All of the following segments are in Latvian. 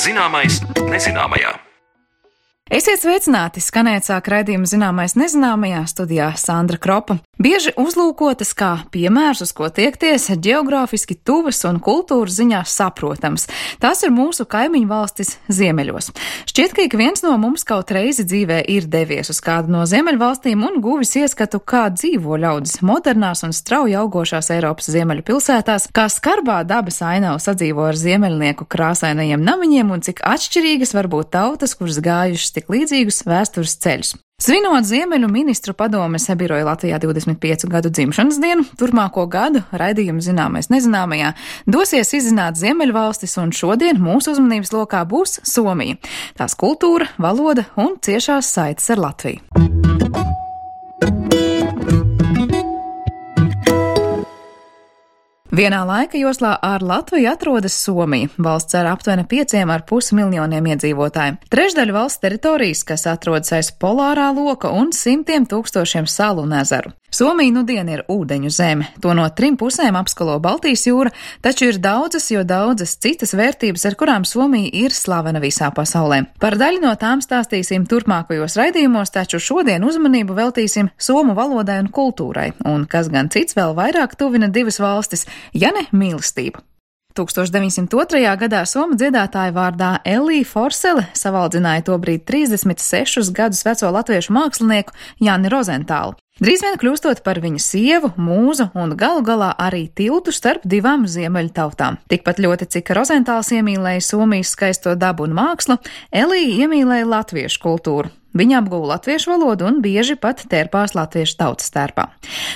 Zināmais nezināmajā. Esiet sveicināti! Skanēt sāk raidījuma Zināmais nezināmajā, studijā Sandra Kropa. Bieži uzlūkotas kā piemērs, uz ko tiekties, ģeogrāfiski tuvas un kultūras ziņā saprotams. Tās ir mūsu kaimiņu valstis ziemeļos. Šķiet, ka ik viens no mums kaut reizi dzīvē ir devies uz kādu no ziemeļvalstīm un guvis ieskatu, kā dzīvo ļaudis modernās un strauji augošās Eiropas ziemeļu pilsētās, kā skarbā dabas ainava sadzīvo ar ziemeļnieku krāsainajiem namiņiem un cik atšķirīgas var būt tautas, kuras gājušas tik līdzīgus vēstures ceļus. Svinot Ziemeļu ministru padomes biroja Latvijā 25 gadu dzimšanas dienu, turpmāko gadu raidījumu Zināmais nezināmajā dosies izzināt Ziemeļvalstis, un šodien mūsu uzmanības lokā būs Somija, tās kultūra, valoda un ciešās saites ar Latviju. Vienā laika joslā ar Latviju atrodas Somija, valsts ar aptuveni 5,5 miljoniem iedzīvotāju. Trešdaļa valsts teritorijas, kas atrodas aiz polārā loka un simtiem tūkstošiem salu un ezeru. Somija nudien ir ūdeņu zeme. To no 3 pusēm apskalo Baltijas jūra, taču ir daudzas citas vērtības, ar kurām Somija ir slavena visā pasaulē. Par daļu no tām stāstīsim turpmākajos raidījumos, taču šodien uzmanību veltīsim somu valodai un kultūrai. Un kas gan cits vēl vairāk tuvina divas valstis, ja ne mīlestību. 1902. gadā somu dziedātāja vārdā Elija Forsele savaldzināja tobrīd 36 gadus veco latviešu mākslinieku Jāni Rozentālu. Drīz vien kļūstot par viņa sievu, mūzu un galu galā arī tiltu starp divām ziemeļu tautām. Tikpat ļoti, cik Rozentāls iemīlēja Somijas skaisto dabu un mākslu, Elija iemīlēja latviešu kultūru. Viņa apguva latviešu valodu un bieži pat tērpās latviešu tautas tērpā.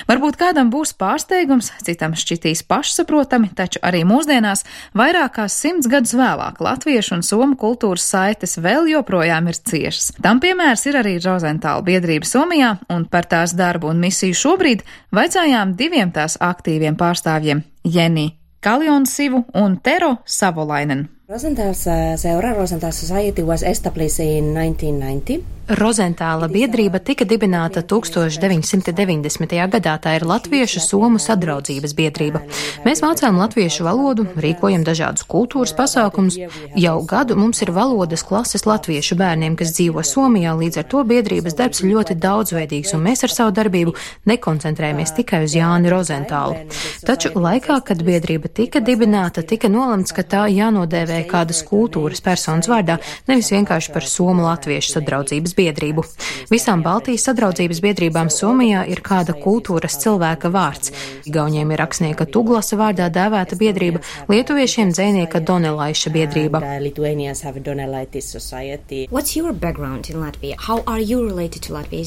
Varbūt kādam būs pārsteigums, citam šķitīs pašsaprotami, taču arī mūsdienās, vairāk kā 100 gadus vēlāk, latviešu un somu kultūras saites vēl joprojām ir ciešas. Tam piemērs ir arī Rozentāla biedrība Somijā, un par tās darbu un misiju šobrīd vaicājām diviem tās aktīviem pārstāvjiem – Jeni Kaljonsīvu un Tero Savolainen. Rosenthal's seura, Rosenthal Society, was established in 1990. Rozentāla biedrība tika dibināta 1990. gadā. Tā ir Latviešu Somu sadraudzības biedrība. Mēs mācām latviešu valodu, rīkojam dažādus kultūras pasākumus. Jau gadu mums ir valodas klases latviešu bērniem, kas dzīvo Somijā, līdz ar to biedrības darbs ir ļoti daudzveidīgs, un mēs ar savu darbību nekoncentrējamies tikai uz Jāni Rozentālu. Taču laikā, kad biedrība tika dibināta, tika nolemts, ka tā jānodēvē kādas kultūras personas vārdā, nevis vienkārši par Somu latviešu sadraudzības biedrību. Visām Baltijas sadraudzības biedrībām Somijā ir kāda kultūras cilvēka vārds. Igauņiem ir rakstnieka Tuglasa vārdā dēvēta biedrība, lietuviešiem dzejnieka Donelaiša biedrība.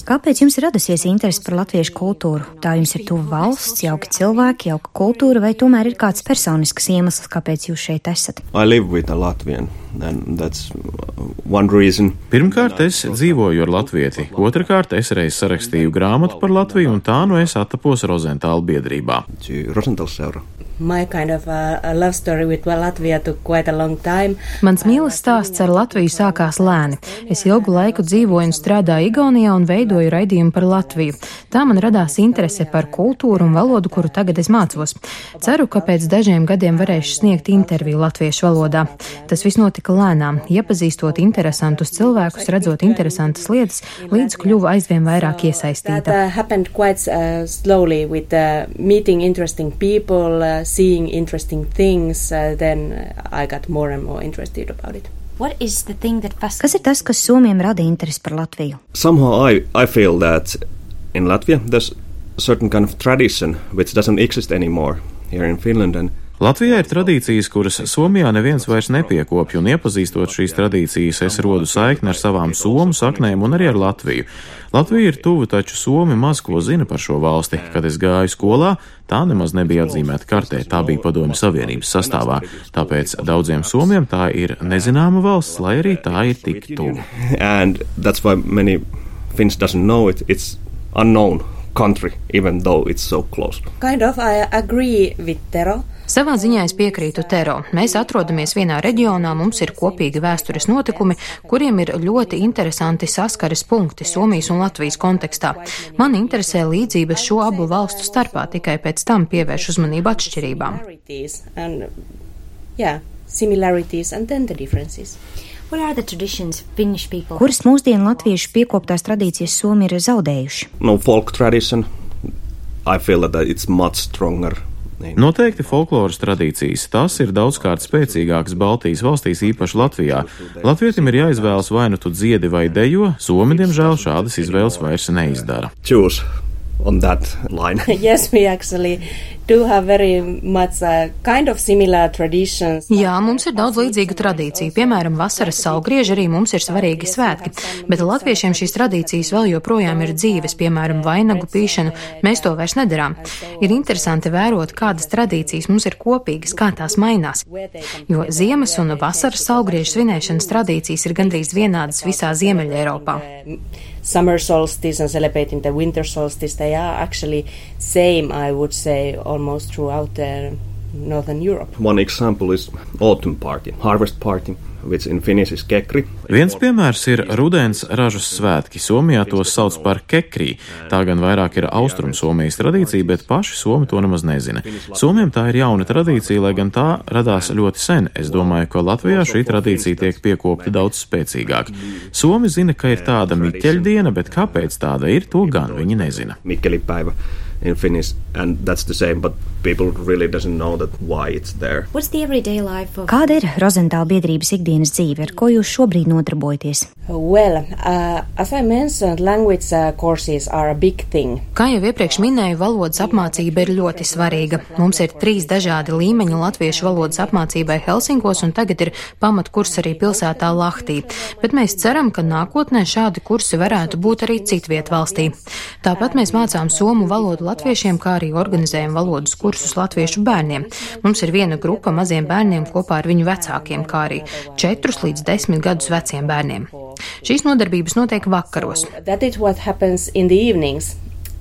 Kāpēc jums ir radusies interesi par latviešu kultūru? Tā jums ir tuva valsts, jauki cilvēki, jauka kultūra, vai tomēr ir kāds personisks iemesls, kāpēc jūs šeit esat? Pirmkārt, es dzīvoju ar latvieti. Otrakārt, es reiz sarakstīju grāmatu par Latviju, un tā nu es attapos Rozentāla biedrībā. My kind of love story with Latvia took quite a long time. Mans mīlas stāsts ar Latviju sākās lēni. Es ilgu laiku dzīvoju un strādāju Igaunijā un veidoju raidījumu par Latviju. Tā man radās interese par kultūru un valodu, kuru tagad es mācos. Ceru, ka pēc dažiem gadiem varēšu sniegt interviju latviešu valodā. Tas viss notika lēnām, iepazīstot interesantus cilvēkus, redzot interesantas lietas, līdz kļuvu aizvien vairāk iesaistīta. That happened quite slowly with meeting interesting people, seeing interesting things, then I got more and more interested about it. Kas ir tas, kas Somijam rada interesi par Latviju? Somehow I feel that in Latvia there's a certain kind of tradition which doesn't exist anymore here in Finland. And Latvijā ir tradīcijas, kuras Somijā neviens vairs nepiekopja, un iepazīstot šīs tradīcijas, es rodu saikni ar savām somu saknēm un arī ar Latviju. Latvija ir tuva, taču Somi maz ko zina par šo valsti. Kad es gāju skolā, tā nemaz nebija atzīmēta kartē, tā bija Padomju Savienības sastāvā. Tāpēc daudziem somiem tā ir nezināma valsts, lai arī tā ir tik tuva. And that's why many Finns doesn't know it. It's unknown country, even though it's so close. Kind of, I agree with Tero. Savā ziņā es piekrītu Tero. Mēs atrodamies vienā reģionā, mums ir kopīgi vēstures notikumi, kuriem ir ļoti interesanti saskares punkti Somijas un Latvijas kontekstā. Man interesē līdzības šo abu valstu starpā, tikai pēc tam pievērš uzmanību atšķirībām. similarities and then the differences. Kuras mūsdienu latviešu piekoptās tradīcijas Somi ir zaudējuši? No folk tradition, I feel that it's much stronger. Noteikti folkloras tradīcijas. Tas ir daudzkārt spēcīgāks Baltijas valstīs, īpaši Latvijā. Latvietim ir jāizvēlas vai nu tu dziedi vai dejo, Somi, diemžēl, šādas izvēles vairs neizdara. Choose on that line. Yes, we actually do have very much kind of similar traditions. Jā, mums ir daudz līdzīgu tradīciju. Piemēram, vasaras saulgrieži arī mums ir svarīgi svētki, bet latviešiem šīs tradīcijas vēl joprojām ir dzīves, piemēram, vainagu pīšanu. Mēs to vairs nedarām. Ir interesanti vērot, kādas tradīcijas mums ir kopīgas, kā tās mainās. Jo ziemas un vasaras saulgriežu svinēšanas tradīcijas ir gandrīz vienādas visā Ziemeļa Eiropā. Summer solstice and celebrating the winter solstice, they are actually same, I would say, almost throughout Northern Europe. One example is autumn party, harvest party, which in Finnish is kekri. Viens piemērs ir rudens ražas svētki. Somijā tos sauc par kekrī. Tā gan vairāk ir Austrum Somijas tradīcija, bet paši Somi to nemaz nezina. Somiem tā ir jauna tradīcija, lai gan tā radās ļoti sen. Es domāju, ka Latvijā šī tradīcija tiek piekopta daudz spēcīgāk. Somi zina, ka ir tāda Miķeļdiena, bet kāpēc tāda ir, to gan viņi nezina. Mikkelipäivä in Finnish, and that's the same, but people really doesn't know that why it's there. Kāda ir Rozentāla biedrības ikdienas dzīve, ar ko jūs šobrīd nodarbojaties? Well, as I mentioned, language courses are a big thing. Kā jau iepriekš minēju, valodas apmācība ir ļoti svarīga. Mums ir 3 dažādi līmeņi latviešu valodas apmācībai Helsinkos, un tagad ir pamatkurs arī pilsētā Lahtī. Bet mēs ceram, ka nākotnē šādi kursi varētu būt arī citviet valstī. Tāpat mēs mācām somu valodu latviešiem, kā arī organizējam valodas kursus latviešu bērniem. Mums ir viena grupa maziem bērniem kopā ar viņu vecākiem, kā arī 4 līdz 10 gadus veciem bērniem. Šīs nodarbības notiek vakaros. That is what happens in the evenings.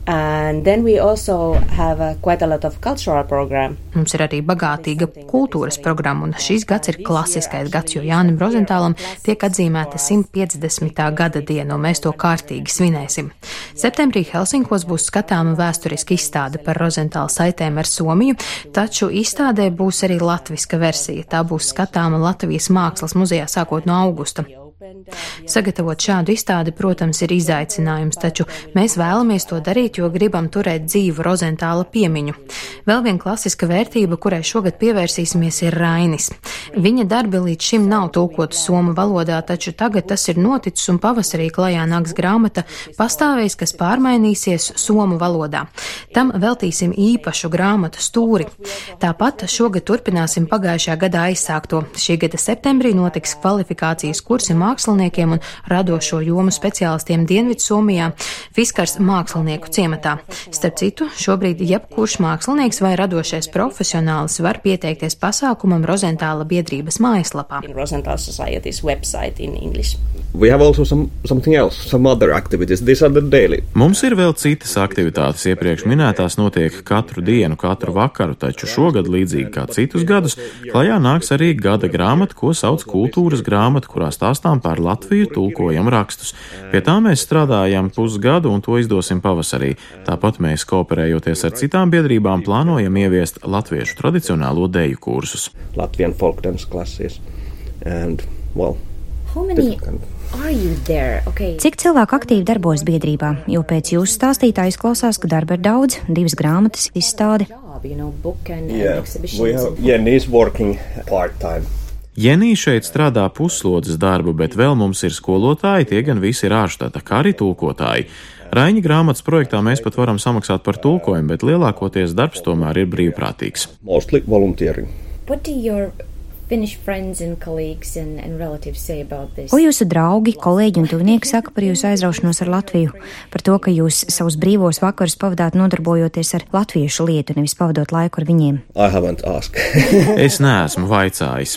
And then we also have quite a lot of cultural program. Mums ir arī bagātīga kultūras programma, un šīs gads ir klasiskais gads, jo Jānim Rozentālam tiek atzīmēta 150. gada diena, un mēs to kārtīgi svinēsim. Septembrī Helsinkos būs skatāma vēsturiska izstāde par Rozentāla saitēm ar Somiju, taču izstādē būs arī latviska versija. Tā būs skatāma Latvijas mākslas muzejā sākot no augusta. Sagatavot šādu izstādi, protams, ir izaicinājums, taču mēs vēlamies to darīt, jo gribam turēt dzīvu Rozentāla piemiņu. Vēl viena klasiska vērtība, kurai šogad pievērsīsimies, ir Rainis. Viņa darbi līdz šim nav tulkoti somu valodā, taču tagad tas ir noticis un pavasarī klajā nāks grāmata Pastāvējs, kas pārmainīsies somu valodā. Tam veltīsim īpašu grāmatu stūri. Tāpat šogad turpināsim pagājušajā gadā aizsākto. Šī gada septembrī notiks kvalifikācijas kursi māksliniekiem un radošo jomu speciālistiem Dienvidsomijā, Fiskars mākslinieku ciematā. Starp citu, šobrīd jebkurš mākslinieks vai radošais profesionālis var pieteikties pasākumam Rozentāla biedrības mājaslapā. Rozentāla Society's website in English. We have also something else, some other activities. These are the daily. Mums ir vēl citas aktivitātes. Iepriekš minētās notiek katru dienu, katru vakaru, taču šogad, līdzīgi kā citus gadus, klajā nāks arī gada grāmata, ko sauc kultūras grāmata, kurā stāstām par Latviju, tulkojam rakstus. Pie tā mēs strādājam pusgadu un to izdosim pavasarī. Tāpat mēs, kooperējoties ar citām biedrībām, plānojam ieviest latviešu tradicionālo deju kursus. Latvian folk dance classes. And, well, Cik cilvēku aktīvi darbojas biedrībā? Jo pēc jūsu stāstītā izklausās, ka darba ir daudz, 2 grāmatas, izstāde. Jenny's working part-time. Jenī šeit strādā pusslodzes darbu, bet vēl mums ir skolotāji, tie gan visi ir ārštata, kā arī tulkotāji. Raiņa grāmatas projektā mēs pat varam samaksāt par tulkojumu, bet lielākoties darbs tomēr ir brīvprātīgs. Mostly volunteering. Ko jūsu draugi, kolēģi un tuvinieki saka par jūsu aizraušanos ar Latviju? Par to, ka jūs savus brīvos vakarus pavadāt nodarbojoties ar latviešu lietu, nevis pavadot laiku ar viņiem? Es neesmu vaicājis.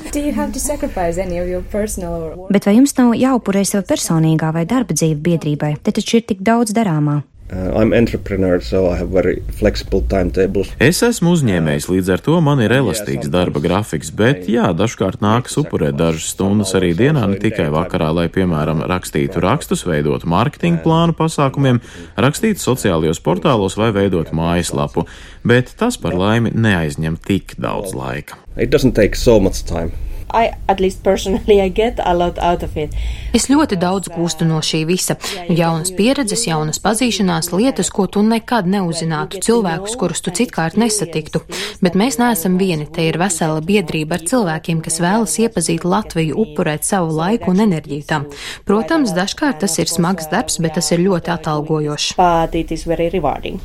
Bet vai jums nav jāupurē sava personīgā vai darba dzīve biedrībai? Te taču ir tik daudz darāmā. I'm entrepreneur, so I have very flexible timetables. Es esmu uzņēmējs, līdz ar to man ir elastīgs darba grafiks, bet jā, dažkārt nākas upurēt dažas stundas arī dienā, ne tikai vakarā, lai, piemēram, rakstītu rakstus, veidotu mārketinga plānu pasākumiem, rakstītu sociālajos portālos vai veidotu mājaslapu, bet tas par laimi neaizņem tik daudz laika. It doesn't take so much time. at least personally, I get a lot out of it. Es ļoti daudz gūstu no šī visa. Jaunas pieredzes, jaunas pazīšanās, lietas, ko tu nekad neuzzinātu, cilvēkus, kurus tu citkārt nesatiktu. Bet mēs neesam vieni, te ir vesela biedrība ar cilvēkiem, kas vēlas iepazīt Latviju, upurēt savu laiku un enerģiju tam. Protams, dažkārt tas ir smags darbs, bet tas ir ļoti atalgojošs. But it is very rewarding.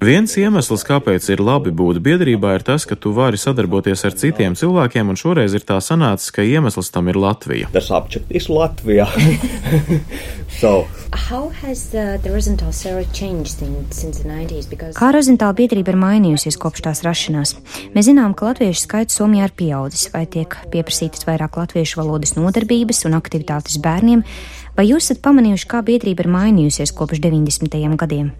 Viens iemesls, kāpēc ir labi būt biedrībā, ir tas, ka tu vari sadarboties ar citiem cilvēkiem, un šoreiz ir tā sanācis, ka iemesls tam ir Latvija. The subject is Latvia. So. How has the Rosenthal Sarah changed since the 90s? Kā Rosenthal biedrība ir mainījusies kopš tās rašanās? Mēs zinām, ka latviešu skaits Somijā ir pieaudzis, vai tiek pieprasītas vairāk latviešu valodas nodarbības un aktivitātes bērniem, vai jūs esat pamanījuši, kā biedrība ir mainījusies kopš 90. gadiem?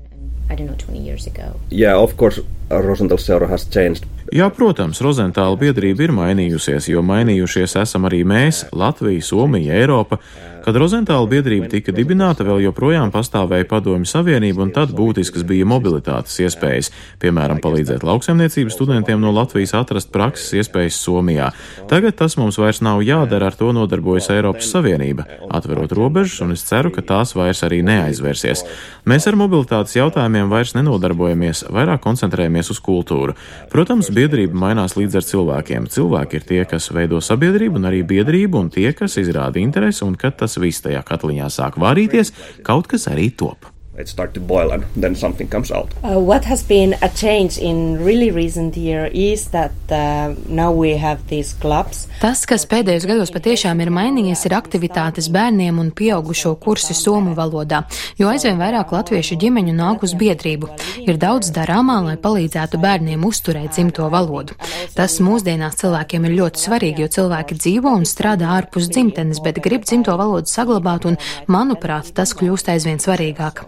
I don't know, 20 years ago. Yeah, of course, Rosenthal Seura has changed. Jā, protams, Rozentāla biedrība ir mainījusies, jo mainījušies esam arī mēs, Latvija, Somija, Eiropa. Kad Rozentāla biedrība tika dibināta, vēl joprojām pastāvēja Padomju Savienība, un tad būtiskas bija mobilitātes iespējas, piemēram, palīdzēt lauksaimniecības studentiem no Latvijas atrast prakses iespējas Somijā. Tagad tas mums vairs nav jādara, ar to nodarbojas Eiropas Savienība, atverot robežas, un es ceru, ka tās vairs arī neaizvērsies. Mēs ar mobilitātes jautājumiem vairs nenodarbojamies, vairāk koncentrējamies uz kultūru. Protams, biedrība mainās līdz ar cilvēkiem. Cilvēki ir tie, kas veido sabiedrību un arī biedrību, un tie, kas izrāda interesi, un kad tas viss tajā katliņā sāk vārīties, kaut kas arī top. It starts to boil and then something comes out. What has been a change in really recent year is that now we have these clubs. Tas, kas pēdējos gados patiešām ir mainījies, ir aktivitātes bērniem un pieaugušo kursi somu valodā, jo aizvien vairāk latviešu ģimeņu nāk uz biedrību. Ir daudz darāmā, lai palīdzētu bērniem uzturēt dzimto valodu. Tas mūsdienās cilvēkiem ir ļoti svarīgi, jo cilvēki dzīvo un strādā ārpus dzimtenes, bet grib dzimto valodu saglabāt, un, manuprāt, tas kļūst aizvien svarīgāk.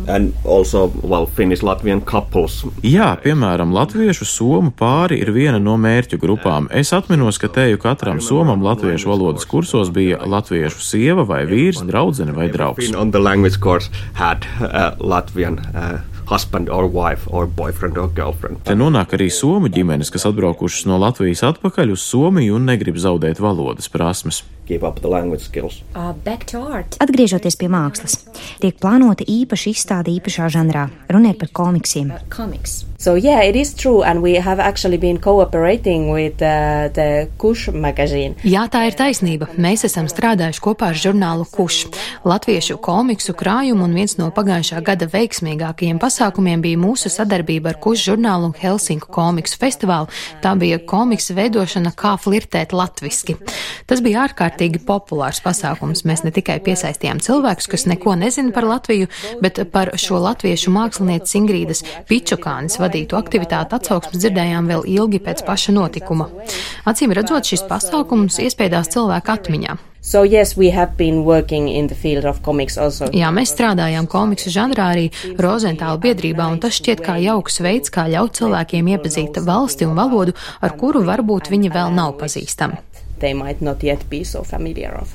And also, well, Finnish-Latvian couples. Jā, piemēram, latviešu somu pāri ir viena no mērķu grupām. Es atminos, ka teju katram somam latviešu valodas kursos bija latviešu sieva vai vīrs, draudzene vai draugs. On the language course had Latvian husband or wife or boyfriend or girlfriend. Te nonāk arī somu ģimenes, kas atbraukušas no Latvijas atpakaļ uz Somiju un negrib zaudēt valodas prasmes. Keep up the language skills. Back to art. Atgriežoties pie mākslas, tiek plānota īpaša izstāde īpašā žanrā. Runa ir par komiksiem. Comics. So yeah, it is true, and we have actually been cooperating with the Kush magazine. Jā, tā ir taisnība. Mēs esam strādājuši kopā ar žurnālu Kush. Latviešu komiksu krājumu, un viens no pagājušā gada veiksmīgākajiem pasākumiem bija mūsu sadarbība ar Kush žurnālu un Helsinku komiksu festivālu. Tā bija komiksa veidošana kā flirtēt latviski. Tas bija ārkārtīgi populārs pasākums. Mēs ne tikai piesaistījām cilvēkus, kas neko nezina par Latviju, bet par šo latviešu mākslinieces Ingrīdas Pičukānes vadītu aktivitāti atsauksmes dzirdējām vēl ilgi pēc paša notikuma. Acīm redzot, šis pasākums iespējās cilvēku atmiņā. So yes, we have been working in the field of comics also. Jā, mēs strādājām komiksu žanrā arī Rozentāla biedrībā, un tas šķiet kā jauks veids, kā ļaut cilvēkiem iepazīt valsti un valodu, ar kuru varbūt viņi vēl nav pazīstami. They might not yet be so familiar of.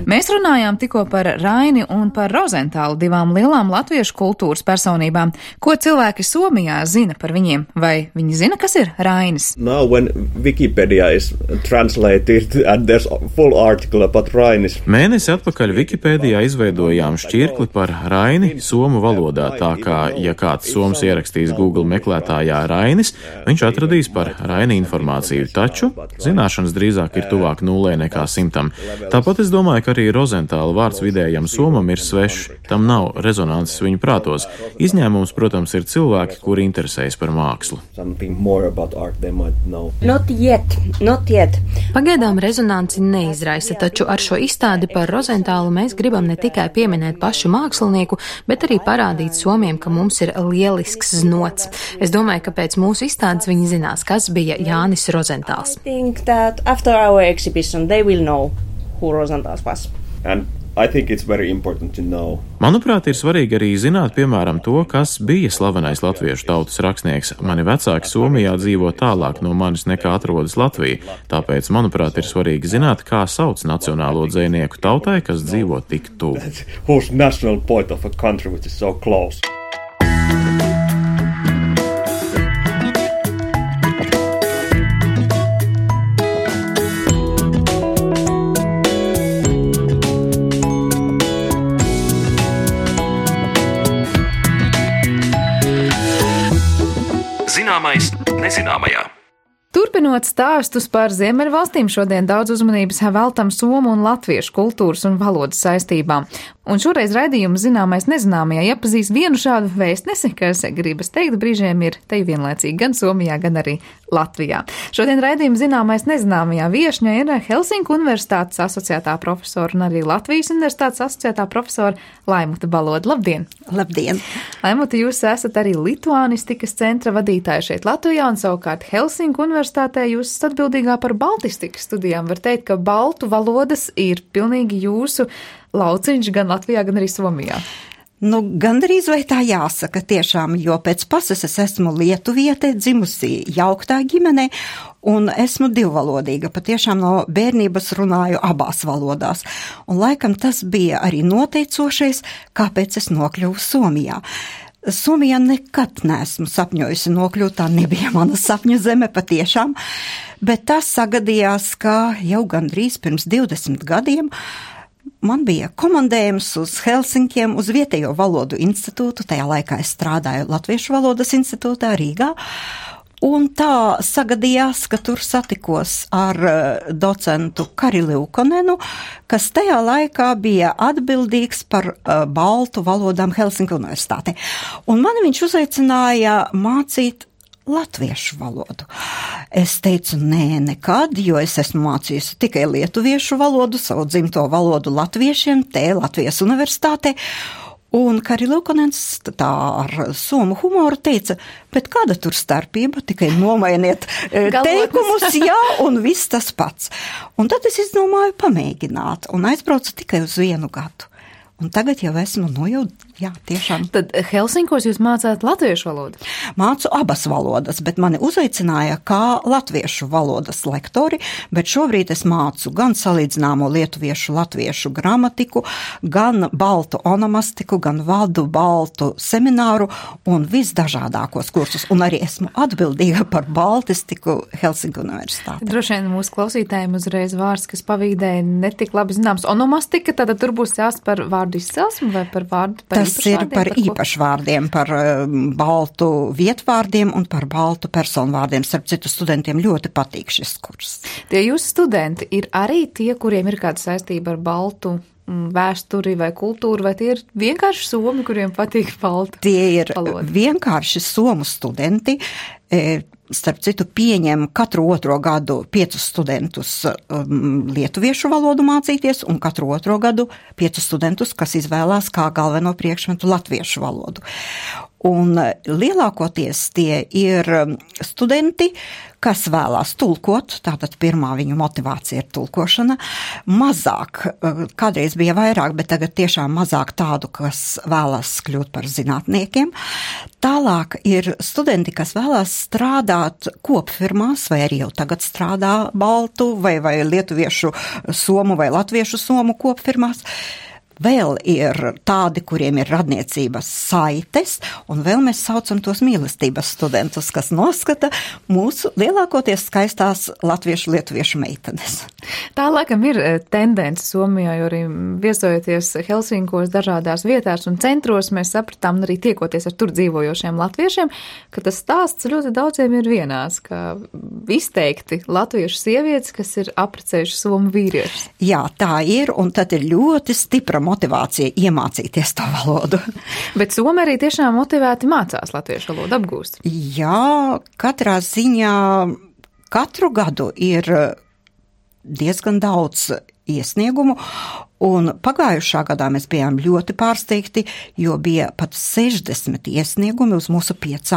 Mēs runājām tikko par Raini un par Rozentālu, divām lielām latviešu kultūras personībām. Ko cilvēki Somijā zina par viņiem? Vai viņi zina, kas ir Rainis? Now when Wikipedia is translated and there's a full article about Rainis. Mēnesi atpakaļ Wikipēdijā izveidojām šķirkli par Raini somu valodā, tā kā, ja kāds soms ierakstīs Google meklētājā Rainis, viņš atradīs par Raini informāciju, taču zināšanas drīzāk ir tuvāk 0 nekā 100. Tāpat es domāju, ka arī Rozentāla vārds vidējam somam ir svešs. Tam nav rezonances viņu prātos. Izņēmums, protams, ir cilvēki, kuri interesējas par mākslu. Not yet. Pagaidām rezonanci neizraisa, taču ar šo izstādi par Rozentālu mēs gribam ne tikai pieminēt pašu mākslinieku, bet arī parādīt somiem, ka mums ir lielisks znots. Es domāju, ka pēc mūsu izstādes viņi zinās, kas bija Jānis Rozentāls. I think that after our exhibition they will know who Rozentāls was. And I think it's very important to know. Manuprāt, ir svarīgi arī zināt, piemēram, to, kas bija slavenais latviešu tautas rakstnieks. Mani vecāki Somijā dzīvo tālāk no manis nekā atrodas Latvija. Tāpēc, manuprāt, ir svarīgi zināt, kā sauc nacionālo dzejnieku tautai, kas dzīvo tik tuvu. Whose national point of a country which is so close. Zināmais nezināmajā. Turpinot stāstus par Ziemeļvalstīm, šodien daudz uzmanības veltam somu un latviešu kultūras un valodas saistībām. Un šoreiz raidījuma Zināmais nezināmajā iepazīst vienu šādu vēstnesi, kas, gribas teikt, brīžiem ir te vienlaicīgi gan Somijā, gan arī Latvijā. Šodien raidījuma Zināmais nezināmajā viešņa ir Helsinku Universitātes asociētā profesora un arī Latvijas Universitātes asociētā profesora Laimuta Baloda. Labdien! Labdien! Laimuta, jūs esat arī Lituānistikas centra vadītāja šeit Latvijā, un savukārt Helsinku Universitātē jūs esat atbildīgā par baltistikas studijām. Var teikt, ka baltu valodas ir pilnīgi jūsu lauciņš gan Latvijā, gan arī Somijā. Gandrīz vai tā jāsaka tiešām, jo pēc pases es esmu lietuviete, dzimusi jauktā ģimenē, un esmu divvalodīga. Patiešām no bērnības runāju abās valodās. Un laikam tas bija arī noteicošais, kāpēc es nokļuvu Somijā. Somijā nekad neesmu sapņojusi nokļūt, tā nebija mana sapņu zeme patiešām, bet tas sagadījās, ka jau gandrīz pirms 20 gadiem man bija komandējums uz Helsinkiem, uz vietējo valodu institūtu, tajā laikā es strādāju Latviešu valodas institūtā Rīgā, un tā sagadījās, ka tur satikos ar docentu Kari Liukonenu, kas tajā laikā bija atbildīgs par baltu valodām Helsinku universitātē. Un mani viņš uzaicināja mācīt latviešu valodu. Es teicu, nē, nekad, jo es esmu mācījusi tikai lietuviešu valodu, savu dzimto valodu latviešiem, te Latvijas universitātē. Un Kari Liukonens tā ar somu humoru teica, bet kāda tur starpība, tikai nomainiet teikumus, jā, un viss tas pats. Un tad es izdomāju pamēģināt, un aizbraucu tikai uz 1 gadu. Un tagad jau esmu tiešām. Tad Helsinkos jūs mācāt latviešu valodu? Mācu abas valodas, bet mani uzaicināja kā latviešu valodas lektori, bet šobrīd es mācu gan salīdzināmo lietuviešu latviešu gramatiku, gan baltu onomastiku, gan vadu baltu semināru un visdažādākos kursus. Un arī esmu atbildīga par baltistiku Helsinku universitātē. Droši vien mūsu klausītājiem uzreiz vārds, kas pavīdēja netik labi zināms. Onomastika, tad tur būs jāst par vārdu izcelsmi vai par vārdu par Tas ir par īpašvārdiem, par baltu vietvārdiem un par baltu personvārdiem. Starp citu, studentiem ļoti patīk šis kurs. Tie jūsu studenti ir arī tie, kuriem ir kāda saistība ar baltu vēsturi vai kultūru, vai tie ir vienkārši somi, kuriem patīk balta valoda? Tie ir vienkārši somu studenti. Starp citu, pieņem katru 2. gadu 5 studentus lietuviešu valodu mācīties un katru 2. gadu 5 studentus, kas izvēlās kā galveno priekšmetu latviešu valodu. Un lielākoties tie ir studenti, kas vēlās tulkot, tātad pirmā viņu motivācija ir tulkošana. Mazāk, kādreiz bija vairāk, bet tagad tiešām mazāk tādu, kas vēlās kļūt par zinātniekiem. Tālāk ir studenti, kas vēlās strādāt kopfirmās, vai arī jau tagad strādā baltu vai lietuviešu somu vai latviešu somu kopfirmās. Vēl ir tādi, kuriem ir radniecības saites, un vēl mēs saucam tos mīlestības studentus, kas noskata mūsu lielākoties skaistās latviešu-lietuviešu meitenes. Tā laikam ir tendence Somijā, jo arī viesojoties Helsinkos dažādās vietās un centros, mēs sapratām, un arī tiekoties ar tur dzīvojošiem latviešiem, ka tas stāsts ļoti daudziem ir vienāds, ka izteikti latviešu sievietes, kas ir apprecējuši somu vīriešus. Jā, tā ir, un tad ir ļoti stipra motivācija iemācīties to valodu. Bet Somi arī tiešām motivēti mācās latviešu valodu apgūst. Jā, katrā ziņā katru gadu ir diezgan daudz iesniegumu, un pagājušā gadā mēs bijām ļoti pārsteigti, jo bija pat 60 iesniegumi uz mūsu 5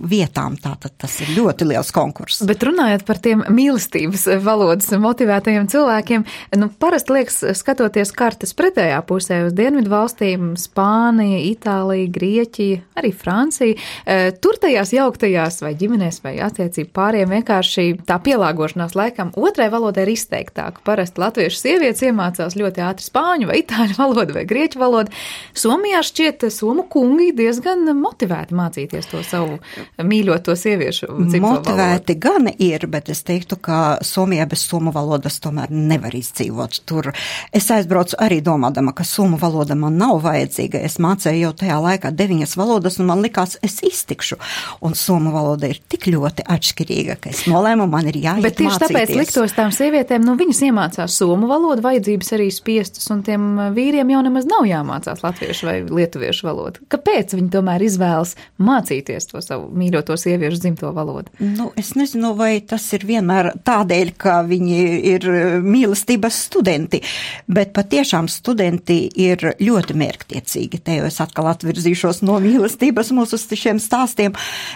vietām. Tātad tas ir ļoti liels konkurss. Bet runājot par tiem mīlestības valodas motivētajiem cilvēkiem, parasti liekas, skatoties kartes pretējā pusē uz dienvidu valstīm, Spānija, Itālija, Grieķija, arī Francija, tur tajās jauktajās vai ģimenēs vai attiecību pāriem vienkārši tā pielāgošanās laikam otrai valodai ir izteiktāka. Parasti latviešu sievietes iemācās ļoti ļoti ātri spāņu vai itāļu valodu vai grieķu valodu. Somijā šķiet somu kungi diezgan motivēti mācīties to savu mīļoto sieviešu dzimto valodu. Motivēti gan ir, bet es teiktu, ka Somijā bez somu valodas tomēr nevar izdzīvot. Tur es aizbraucu arī domādama, ka somu valoda man nav vajadzīga. Es mācēju jau tajā laikā 9 valodas, un man likās, es iztikšu. Un somu valoda ir tik ļoti atšķirīga, ka es nolēmu, man ir jāiet mācīties. Bet tieši tāpēc liktos tām sievietēm, viņas iemācās somu valodu, vajadzības arī spiestas, un tiem vīriem jau nemaz nav jāmācās latviešu vai lietuviešu valodu. Kāpēc viņi tomēr izvēlas mācīties to savu mīļoto sieviešu dzimto valodu? Es nezinu, vai tas ir vienmēr tādēļ, ka viņi ir mīlestības studenti, bet patiešām studenti ir ļoti mērķtiecīgi. Te jau es atkal atvirzīšos no mīlestības mūsu šiem stāstiem,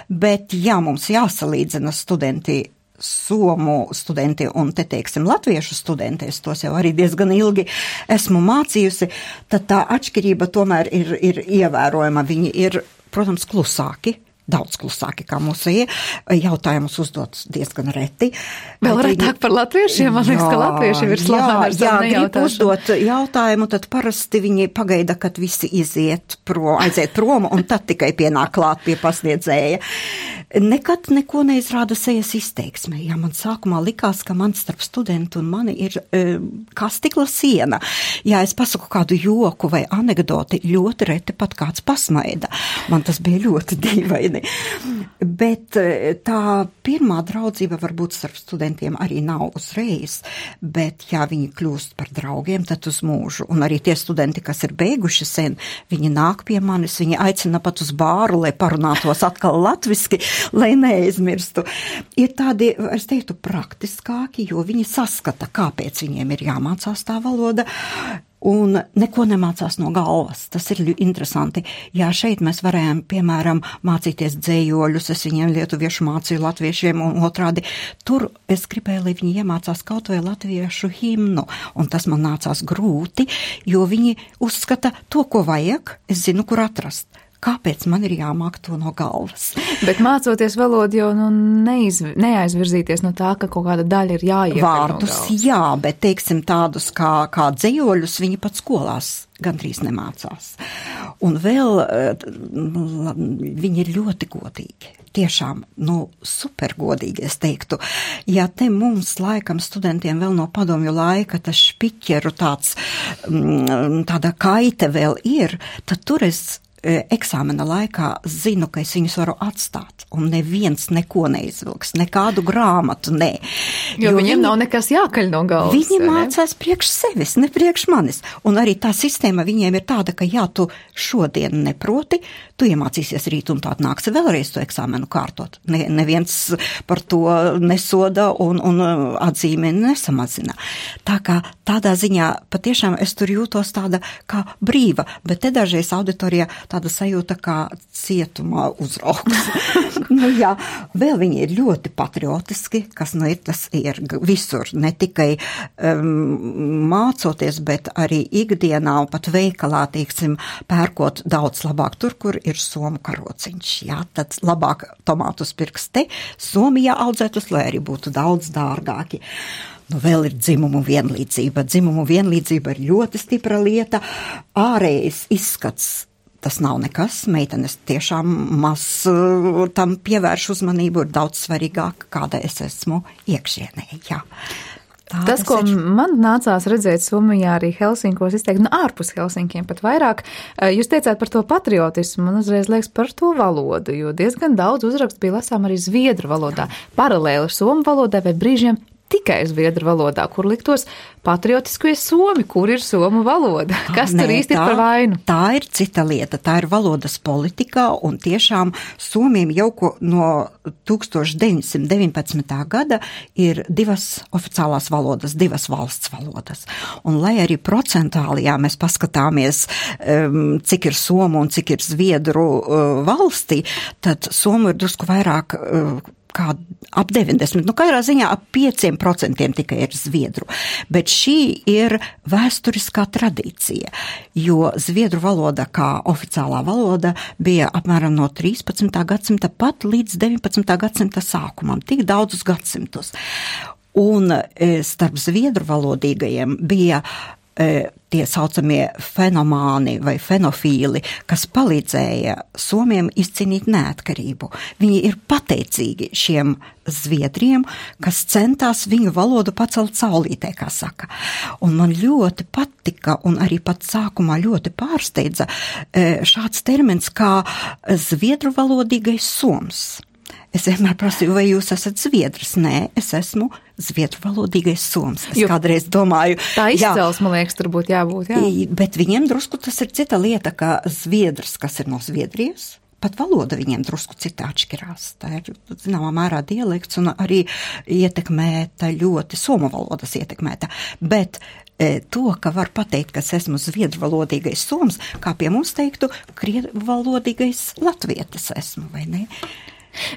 bet ja mums jāsalīdzina studenti, somu studenti un te teiksim latviešu studenti, es tos jau arī diezgan ilgi esmu mācījusi, tad tā atšķirība tomēr ir ievērojama. Viņi ir, protams, klusāki. Daudz klusāki kā mūsējie, jautājumus uzdots diezgan reti. Vēl retāk par latviešiem, man liekas, ka latviešiem ir slaveni ar savu nejautāšanu. Grib uzdot jautājumu, tad parasti viņi pagaida, kad visi aiziet prom, un tad tikai pienāk klāt pie pasniedzēja. Nekad neko neizrāda sejas izteiksme. Ja man sākumā likās, ka man starp studentu un mani ir kā stikla siena. Ja es pasaku kādu joku vai anekdoti, ļoti reti pat kāds pasmaida. Man tas bija ļoti dīvaini. Bet tā pirmā draudzība varbūt starp studentiem arī nav uzreiz, bet ja viņi kļūst par draugiem, tad uz mūžu. Un arī tie studenti, kas ir beiguši sen, viņi nāk pie manis, viņi aicina pat uz bāru, lai parunātos atkal latviski, lai neaizmirstu. Ir tādi, es teiktu, praktiskāki, jo viņi saskata, kāpēc viņiem ir jāmācās tā valoda. Un neko nemācās no galvas. Tas ir interesanti. Jā, šeit mēs varējām, piemēram, mācīties dzējoļus, es viņiem lietuviešu mācīju latviešiem un otrādi. Tur es gribēju, lai viņi iemācās kaut vai latviešu himnu, un tas man nācās grūti, jo viņi uzskata to, ko vajag, es zinu, kur atrast. Kāpēc man ir jāmāk to no galvas? Bet mācoties valodu jau neaizvirzīties no tā, ka kaut kāda daļa ir jāiekļūt vārdus, no galvas. Jā, bet teiksim tādus kā dzējoļus viņi pat skolās gandrīz nemācās. Un vēl viņi ir ļoti godīgi. Tiešām, supergodīgi, es teiktu. Ja te mums laikam studentiem vēl no padomju laika tas špiķeru tāda kaite vēl ir, tad tur es eksāmena laikā zinu, ka es viņus varu atstāt, un neviens neko neizvilks, nekādu grāmatu, ne. Jo viņiem nav nekas jākaļ no galvas. Viņi mācās priekš sevis, ne priekš manis. Un arī tā sistēma viņiem ir tāda, ka ja tu šodien neproti, tu iemācīsies rīt un tād nāksi vēlreiz to eksāmenu kārtot. Neviens par to nesoda un atzīmi nesamazina. Tā kā tādā ziņā patiešām es tur jūtos tāda kā brīva, bet te dažreiz auditorijā tāda sajūta kā cietumā uzraugs. Jā, vēl viņi ir ļoti patriotiski, kas ir, tas ir visur, ne tikai mācoties, bet arī ikdienā un pat veikalā, teiksim, pērkot daudz labāk tur, kur ir somu karociņš. Jā, tad labāk tomātus pirks te, Somijā audzētus, lai arī būtu daudz dārgāki. Vēl ir dzimumu vienlīdzība. Dzimumu vienlīdzība ir ļoti stipra lieta. Ārējais izskats. Tas nav nekas, meitenes tiešām maz tam pievērš uzmanību, ir daudz svarīgāk, kāda es esmu iekšienē, jā. Tas, ko man nācās redzēt Somijā arī Helsinkos, izteikt, ārpus Helsinkiem pat vairāk, jūs teicāt par to patriotismu, man uzreiz liekas par to valodu, jo diezgan daudz uzrakstu bija lasām arī zviedru valodā, paralēli somu valodai vai brīžiem tikai zviedru valodā, kur liktos patriotiskie somi, kur ir somu valoda. Kas tur īsti ir par vainu? Tā ir cita lieta, tā ir valodas politikā, un tiešām somiem jau no 1919. gada ir 2 oficiālās valodas, 2 valsts valodas. Un lai arī procentāli, ja mēs paskatāmies, cik ir somu un cik ir zviedru valstī, tad somu ir drusku vairāk kā ap 90, katrā ziņā ap 5% tikai ir zviedru. Bet šī ir vēsturiskā tradīcija, jo zviedru valoda kā oficiālā valoda bija apmēram no 13. gadsimta pat līdz 19. gadsimta sākumam, tik daudzus gadsimtus. Un starp zviedru valodīgajiem bija tie saucamie fenomāni vai fenofīli, kas palīdzēja somiem izcīnīt neatkarību. Viņi ir pateicīgi šiem zviedriem, kas centās viņu valodu pacelt saulītē, kā saka. Un man ļoti patika un arī pat sākumā ļoti pārsteidza šāds termins kā zviedru valodīgais soms. Es vienmēr prasīju, vai jūs esat zviedrs? Nē, es esmu zviedru valodīgais soms. Es kādreiz domāju... Tā izcelsme, man liekas, tur būtu jābūt, jā. Bet viņiem drusku tas ir cita lieta, ka zviedrs, kas ir no Zviedrijas, pat valoda viņiem drusku citā atšķirās. Tā ir, zināmā mērā, dialekts un arī ietekmēta ļoti somu valodas ietekmēta. Bet to, ka var pateikt, ka es esmu zviedru valodīgais soms, kā pie mums teiktu, krievu valodīgais latvietis esmu, vai ne?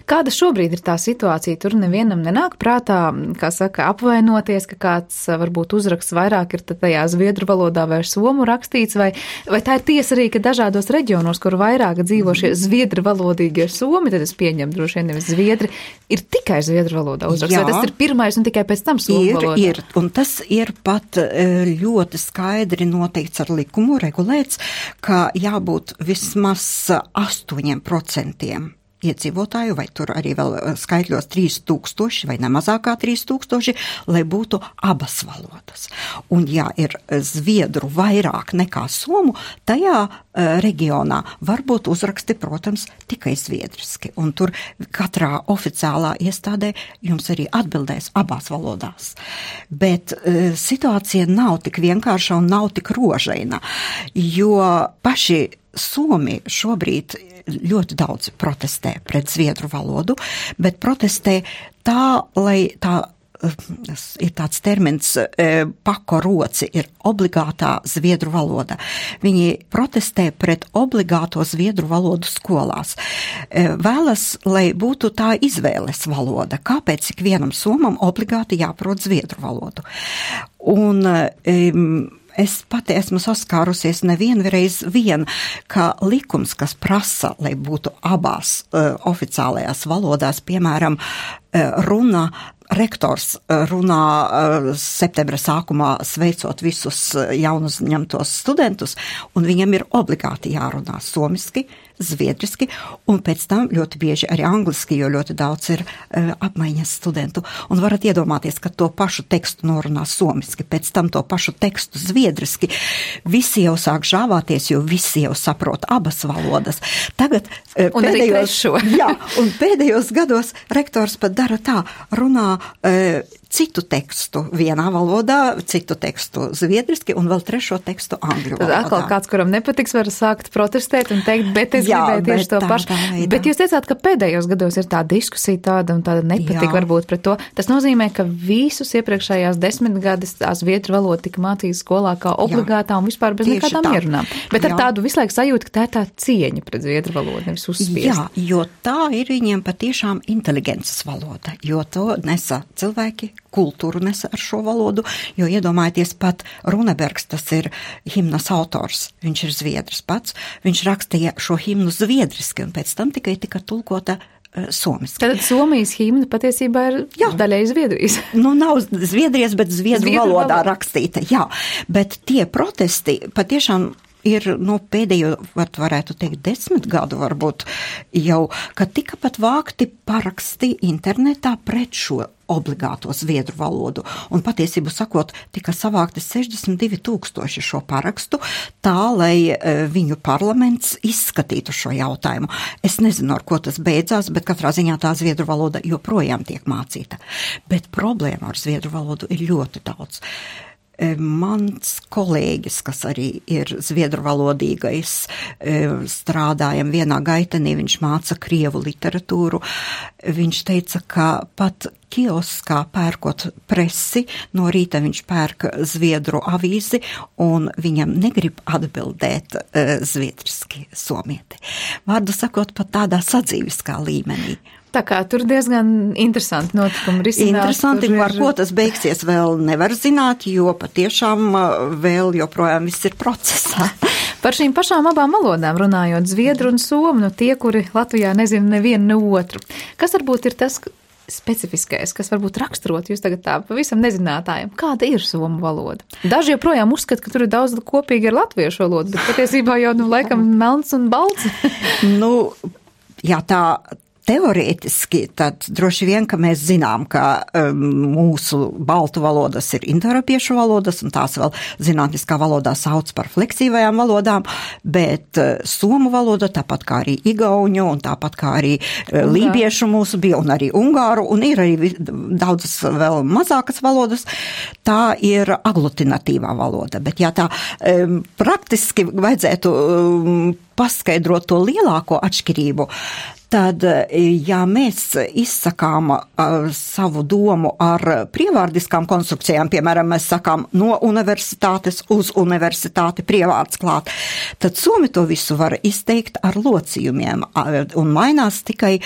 Kāda šobrīd ir tā situācija? Tur nevienam nenāk prātā, kā saka, apvainoties, ka kāds varbūt uzraksts vairāk ir tajā zviedru valodā vai somu rakstīts, vai tā ir tiesa arī, ka dažādos reģionos, kur vairāk dzīvo šie zviedru valodīgie somi, tad es pieņemu droši vien nevis zviedri, ir tikai zviedru valodā uzraksts, vai tas ir pirmais un tikai pēc tam somu valodā? Ir, un tas ir pat ļoti skaidri noteikts ar likumu, regulēts, ka jābūt vismaz 8% iedzīvotāju, vai tur arī vēl skaitļos 3000 vai nemazākā 3000, lai būtu abas valodas. Un ja ir zviedru vairāk nekā somu, tajā reģionā var būt uzraksti, protams, tikai zviedriski. Un tur katrā oficiālā iestādē jums arī atbildēs abās valodās. Bet situācija nav tik vienkārša un nav tik rožaina, jo paši somi šobrīd ļoti daudz protestē pret zviedru valodu, bet protestē tā, lai tā ir tāds termins pako roci, ir obligātā zviedru valoda. Viņi protestē pret obligāto zviedru valodu skolās. Vēlas, lai būtu tā izvēles valoda. Kāpēc ikvienam somam obligāti jāprot zviedru valodu? Un es pati esmu saskārusies nevienreiz ka likums, kas prasa, lai būtu abās oficiālajās valodās, piemēram, rektors runā septembra sākumā sveicot visus jaunuzņemtos studentus, un viņam ir obligāti jārunā somiski, zviedriski, un pēc tam ļoti bieži arī angliski, jo ļoti daudz ir apmaiņas studentu. Un varat iedomāties, ka to pašu tekstu norunā somiski, pēc tam to pašu tekstu zviedriski. Visi jau sāk žāvāties, jo visi jau saprot abas valodas. Tagad pēdējos gados rektors pat dara tā, runā citu tekstu vienā valodā, citu tekstu zviedriski un vēl trešo tekstu angļu valodā. Tad atkal kāds, kuram nepatiks, var sākt protestēt un teikt, bet es gribēju tieši to pašu. Bet jūs teicāt, ka pēdējos gados ir tā diskusija tāda un tāda nepatika varbūt pret to. Tas nozīmē, ka visus iepriekšējās 10 gadus tā zviedru valoda tika mācīta skolā kā obligātā un vispār bez nekādām ierunām. Bet ar tādu visu laiku sajūtu, ka tā ir tā cieņa pret zviedru valodu, nevis uzspiest. Jā, jo tā ir viņiem patiešām inteligences valoda, jo to nesa cilvēki, kultūru nesa ar šo valodu, jo iedomājieties pat Runebergs, tas ir himnas autors, viņš ir zviedrs pats, viņš rakstīja šo himnu zviedriski un pēc tam tikai tika tulkota somiski. Tad Somijas himna patiesībā ir daļai Zviedrijas. Nu, nav Zviedrijas, bet zviedru valodā rakstīta, jā. Bet tie protesti patiešām ir, pēdējo, varētu teikt, 10 gadu varbūt jau, kad tika pat vākti paraksti internetā pret šo obligāto zviedru valodu. Un patiesību sakot, tika savākti 62,000 šo parakstu, tā, lai viņu parlaments izskatītu šo jautājumu. Es nezinu, ar ko tas beidzās, bet katrā ziņā tā zviedru valoda joprojām tiek mācīta. Bet problēma ar zviedru valodu ir ļoti daudz. Mans kolēģis, kas arī ir zviedru valodīgais, strādājam vienā gaitenī, viņš māca krievu literatūru. Viņš teica, ka pat kioskā pērkot presi, no rīta viņš pērk zviedru avīzi un viņam negrib atbildēt zviedriski somieti. Vārdu sakot, pat tādā sadzīviskā līmenī. Tā kā tur diezgan interesanti notikumi risinās. Interesanti, ar ko tas beigsies vēl nevar zināt, jo patiešām vēl joprojām viss ir procesā. Par šīm pašām abām valodām runājot, zviedru un somu, tie, kuri Latvijā nezina nevienu ne otru. Kas varbūt ir tas, specifiskais, kas varbūt raksturot jūs tagad tā pavisam nezinātājiem? Kāda ir somu valoda? Daži joprojām uzskata, ka tur ir daudz kopīgi ar latviešu valodu, bet patiesībā jau, laikam, melns un balts. Jā, tā teorētiski, tad droši vien, ka mēs zinām, ka mūsu baltu valodas ir indoeiropiešu valodas, un tās vēl zinātniskā valodā sauc par fleksīvajām valodām, bet somu valoda, tāpat kā arī igauņu, un tāpat kā arī lībiešu mūsu bija, un arī ungāru, un ir arī daudzas vēl mazākas valodas, tā ir aglutinatīvā valoda. Bet ja tā praktiski vajadzētu paskaidrot to lielāko atšķirību, tad, ja mēs izsakām savu domu ar prievārdiskām konstrukcijām, piemēram, mēs sakām no universitātes uz universitāti prievārds klāt, tad somi to visu var izteikt ar locījumiem un mainās tikai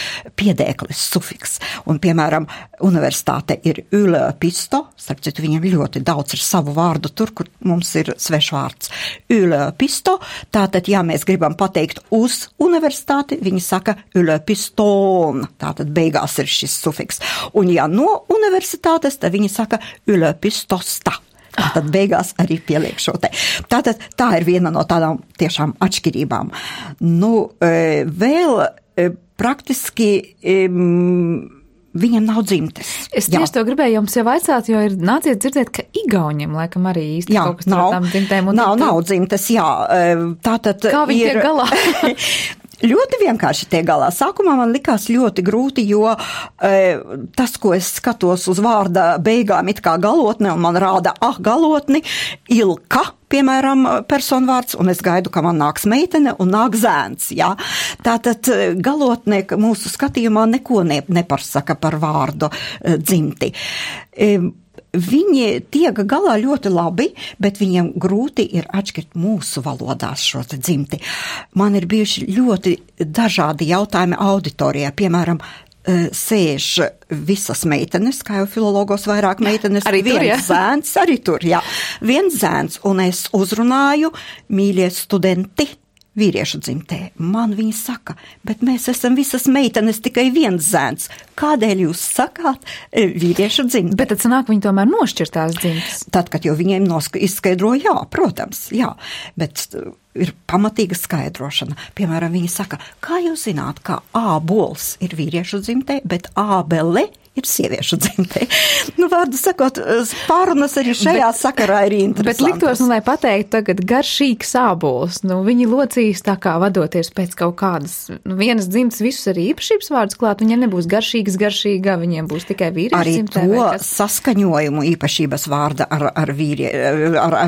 piedēklis, sufiks. Un, piemēram, universitāte ir yliopisto, starp citu, viņiem ļoti daudz ir savu vārdu tur, kur mums ir svešvārds. Yliopisto, tātad, ja mēs gribam pateikt uz universitāti, viņi saka yliopiston, tātad beigās ir šis sufiks. Un ja no universitātes, tad viņi saka yliopistosta. Tātad beigās arī pieliek šo te. Tātad tā ir viena no tādām tiešām atšķirībām. Vēl praktiski viņam nav dzimtes. Es tieši to gribēju jums jau vaicāt, jo ir nācies dzirdēt, ka igauņiem laikam arī īsti kaut kas tur tām dzimtēm. Nav dzimtes, jā. Tātad kā viņi tiek galā? Ļoti vienkārši tiek galā. Sākumā man likās ļoti grūti, jo tas, ko es skatos uz vārda beigām it kā galotne, un man rāda, galotni, ilka, piemēram, personvārds, un es gaidu, ka man nāks meitene un nāk zēns, jā. Tātad galotne mūsu skatījumā neko nepasaka par vārdu dzimti. Viņi tiek galā ļoti labi, bet viņiem grūti ir atšķirt mūsu valodās šo te dzimti. Man ir bijuši ļoti dažādi jautājumi auditorijā, piemēram, sēž visas meitenes, kā jau filologos vairāk meitenes, arī tur, viens zēns, arī tur, jā. Viens zēns, un es uzrunāju, mīļie studenti, vīriešu dzimtē. Man viņi saka, bet mēs esam visas meitenes, tikai viens zēns. Kādēļ jūs sakāt vīriešu dzimtē? Bet tad sanāk, viņi tomēr nošķirtās dzimtes. Tad, kad jau viņiem izskaidro, jā, protams, jā, bet ir pamatīga skaidrošana. Piemēram, viņi saka, kā jūs zināt, ka ābols ir vīriešu dzimtē, bet ābele ir sieviešu dzimtē. Vārdu sakot, pārunas arī šajā sakarā ir interesantas. Bet liktos, lai pateiktu tagad garšīgs ābols, viņi locīs tā kā vadoties pēc kaut kādas, vienas dzimtas visus arī īpašības vārdus klāt, viņiem nebūs garšīga, viņiem būs tikai vīriešu dzimtē. Arī to saskaņojumu īpašības vārda ar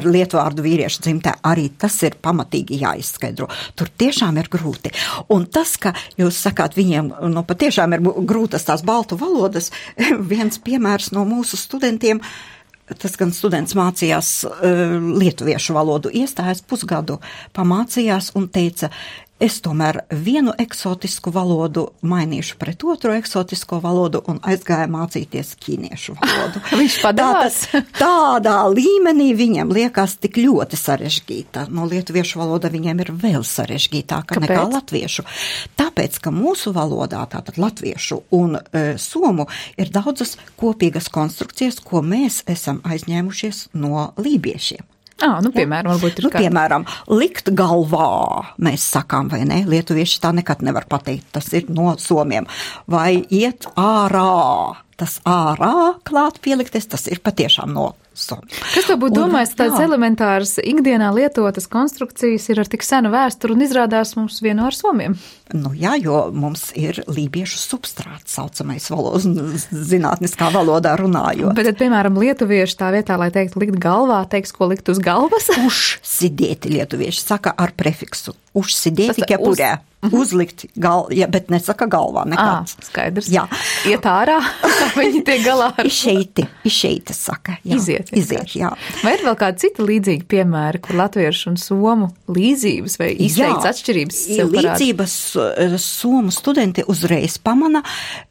lietvārdu vīriešu dzimtē, arī tas ir pamatīgi jāizskaidro. Tur tiešām ir grūti. Un tas, ka jūs sakāt, viņiem, patiešām ir grūtas tās baltu valodas, viens piemērs no mūsu studentiem, tas gan students mācījās lietuviešu valodu, iestājās pusgadu, pamācījās un teica, es tomēr vienu eksotisku valodu mainīšu pret otru eksotisko valodu un aizgāja mācīties ķīniešu valodu. Viņš padās? Tādā līmenī viņam liekas tik ļoti sarežģīta. No lietuviešu valoda viņiem ir vēl sarežģītāka nekā latviešu. Tāpēc, ka mūsu valodā, tātad latviešu un somu, ir daudzas kopīgas konstrukcijas, ko mēs esam aizņēmušies no lībiešiem. Piemēram, varbūt ir piemēram, likt galvā, mēs sakām, vai ne? Lietuvieši tā nekad nevar pateikt, tas ir no somiem. Vai iet ārā, tas ārā klāt pielikties, tas ir patiešām no somiem. Kas to būtu domājis, tādas elementāras ikdienā lietotas konstrukcijas ir ar tik senu vēsturu un izrādās mums vienu ar somiem? Jā, jo mums ir lībiešu substrāts, saucamais zinātniskā valodā runājot. Bet, piemēram, lietuvieši tā vietā, lai teikt likt galvā, teiks, ko likt uz galvas? Užsidēti lietuvieši saka ar prefiksu. Užsidēti ķepurē. Uzlikt galvā, bet nesaka galvā nekāds. Skaidrs. Jā. Iet ārā, viņi tiek galā ar... Išeiti saka. Jā. Iziet, jā. Vai ir vēl kādi citi līdzīgi piemēri, kur latviešu un somu līdzības vai izteikts atšķirības sev parāda? Līdzības somu studenti uzreiz pamana,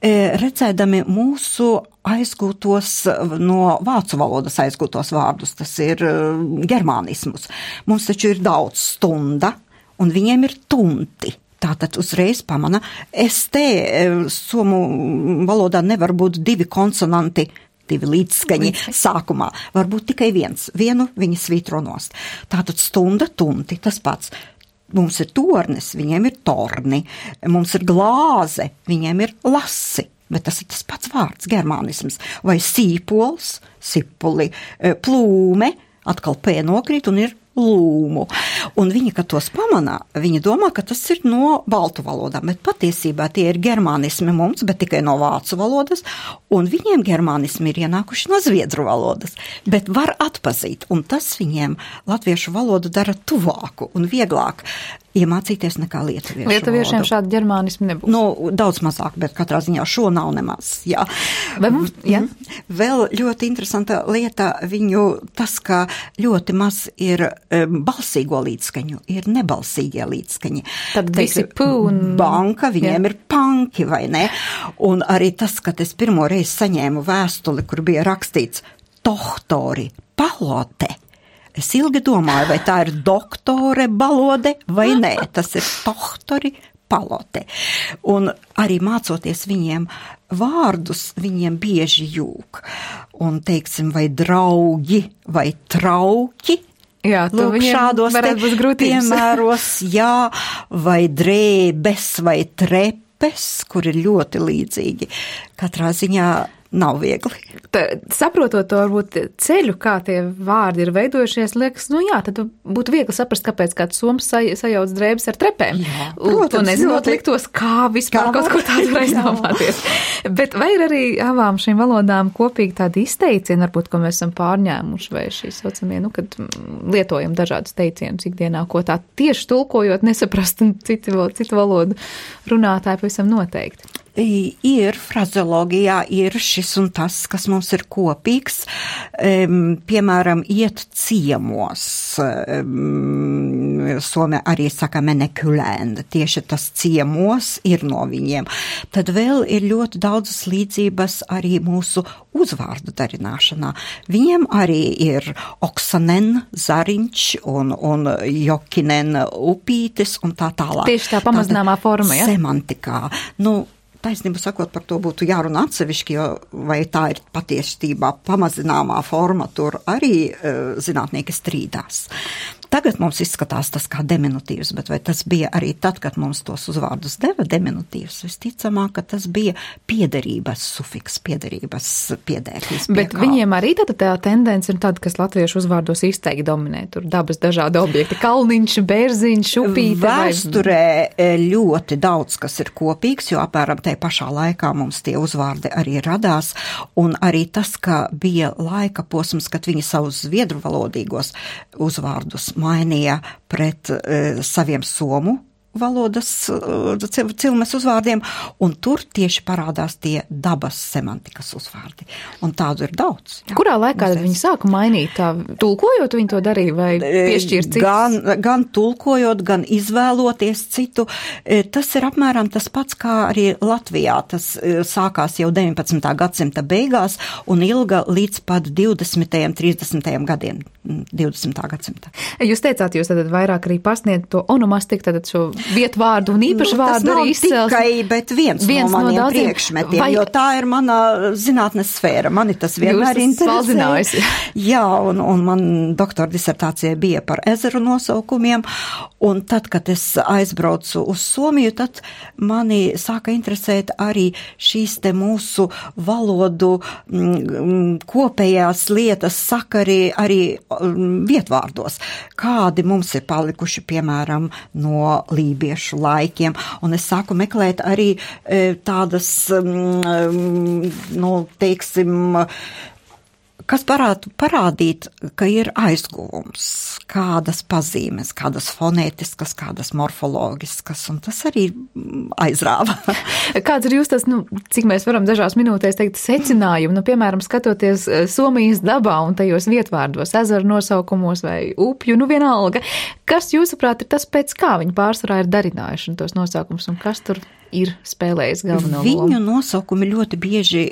redzēdami mūsu aizgūtos no vācu valodas aizgūtos vārdus, tas ir germānismus. Mums taču ir daudz stunda, un viņiem ir tunti. tātad uzreiz pamana. Somu valodā nevar būt 2 konsonanti, 2 līdzskaņi sākumā. Varbūt tikai vienu viņi svītro nost. Tātad stunda, tunti, tas pats. Mums ir tornis, viņiem ir torni. Mums ir glāze, viņiem ir lasi. Bet tas ir tas pats vārds, germānisms. Vai sīpols, sipuli, plūme, atkal P nokrīt un ir lūmu. Un viņi, kad tos pamanā, viņi domā, ka tas ir no baltu valodām, bet patiesībā tie ir germānismi mums, bet tikai no vācu valodas, un viņiem germānismi ir ienākuši no zviedru valodas, bet var atpazīt, un tas viņiem latviešu valodu dara tuvāku un vieglāk iemācīties nekā lietuviešu valodu. Lietuviešiem šādi ģermānismi nebūs? Nu, daudz mazāk, bet katrā ziņā šo nav nemaz, jā. Jā. Vēl ļoti interesanta lieta viņu tas, ka ļoti maz ir balsīgo līdzskaņu, ir nebalsīgie līdzskaņi. Tad visi pū un... Banka, viņiem ir panki, vai ne? Un arī tas, kad es pirmo reizi saņēmu vēstuli, kur bija rakstīts tohtori palote. Es ilgi domāju, vai tā ir doktore balode vai nē, tas ir tohtori palote. Un arī mācoties viņiem vārdus, viņiem bieži jūg. Un teiksim, vai draugi, vai trauki. Jā, lūk, šādos piemēros, jā, vai drēbes, vai trepes, kur ir ļoti līdzīgi. Katrā ziņā nav viegli. Saprotot to varbūt ceļu, kā tie vārdi ir veidojušies, liekas, nu jā, tad būtu viegli saprast, kāpēc kāds soms sajauc drēbes ar trepēm. Jā, protams. Un nezinot liktos, kā vispār kaut ko tādu var aizdomāties. Bet vai ir arī abām šīm valodām kopīgi tādi izteicieni, varbūt, ko mēs esam pārņēmuši, vai šī saucamie, nu, kad lietojam dažādus teicienus ikdienā, ko tā tieši tulkojot nesaprast, un citu valodu runātāji pavisam noteikti. Ir frazeologijā, ir šis un tas, kas mums ir kopīgs, piemēram, iet ciemos, Somija arī saka menekulēnd, tieši tas ciemos ir no viņiem. Tad vēl ir ļoti daudzas līdzības arī mūsu uzvārdu darināšanā. Viņiem arī ir Oksanen, Zariņš un Jokinen, Upītis un tā tālāk. Tieši tā pamazināmā forma, ja? Semantikā. Nu, taisnību sakot, par to būtu jārunā atsevišķi, jo vai tā ir patiesībā pamazināmā forma, tur arī zinātnieki strīdās. Tagad mums izskatās tas kā diminutīvs, bet vai tas bija arī tad, kad mums tos uzvārdus deva diminutīvs? Visticamāk, ka tas bija piederības sufiks, piederības piedēklis. Bet viņiem arī tā tendence ir tāda, kas latviešu uzvārdos izteikti dominē. Tur dabas dažādi objekti, kalniņš, bērziņš, upīte. Vēsturē ļoti daudz, kas ir kopīgs, jo apmēram tajā pašā laikā mums tie uzvārdi arī radās, un arī tas, ka bija laika posms, kad viņi savus zviedru valodīgos uzvārdus mainīja pret saviem somu valodas cilmes uzvārdiem, un tur tieši parādās tie dabas semantikas uzvārdi. Un tādu ir daudz. Jā. Kurā laikā viņi sāka mainīt? Tā, tulkojot viņi to darīja vai piešķirt citus? Gan tulkojot, gan izvēloties citu. Tas ir apmēram tas pats, kā arī Latvijā. Tas sākās jau 19. gadsimta beigās un ilga līdz pat 20. 30. gadiem 20. gadsimta. Jūs teicāt, jūs tad vairāk arī pasniedz to onomastiku, tad šo vietvārdu un īpašu vārdu arī izcels. Tas nav tikai, bet viens no maniem priekšmetiem, jo tā ir mana zinātnes sfēra. Mani tas vienmēr interesē. Jā, un man doktora disertācija bija par ezeru nosaukumiem, un tad, kad es aizbraucu uz Somiju, tad mani sāka interesēt arī šīs te mūsu valodu kopējās lietas sakari arī vietvārdos. Kādi mums ir palikuši, piemēram, no lībiešu laikiem, un es sāku meklēt arī tādas, nu, teiksim, kas parādīt, ka ir aizguvums, kādas pazīmes, kādas fonētiskas, kādas morfologiskas, un tas arī aizrāva. Kāds ir jūs tas, nu, cik mēs varam dažās minūtēs teikt secinājumi, nu, piemēram, skatoties Somijas dabā un tajos vietvārdos, ezeru nosaukumos vai upju, nu, vienalga, kas jūsuprāt ir tas, pēc kā viņi pārsvarā ir darinājuši tos nosaukumus, un kas tur ir spēlējis galveno lomu? Viņu nosaukumi ļoti bieži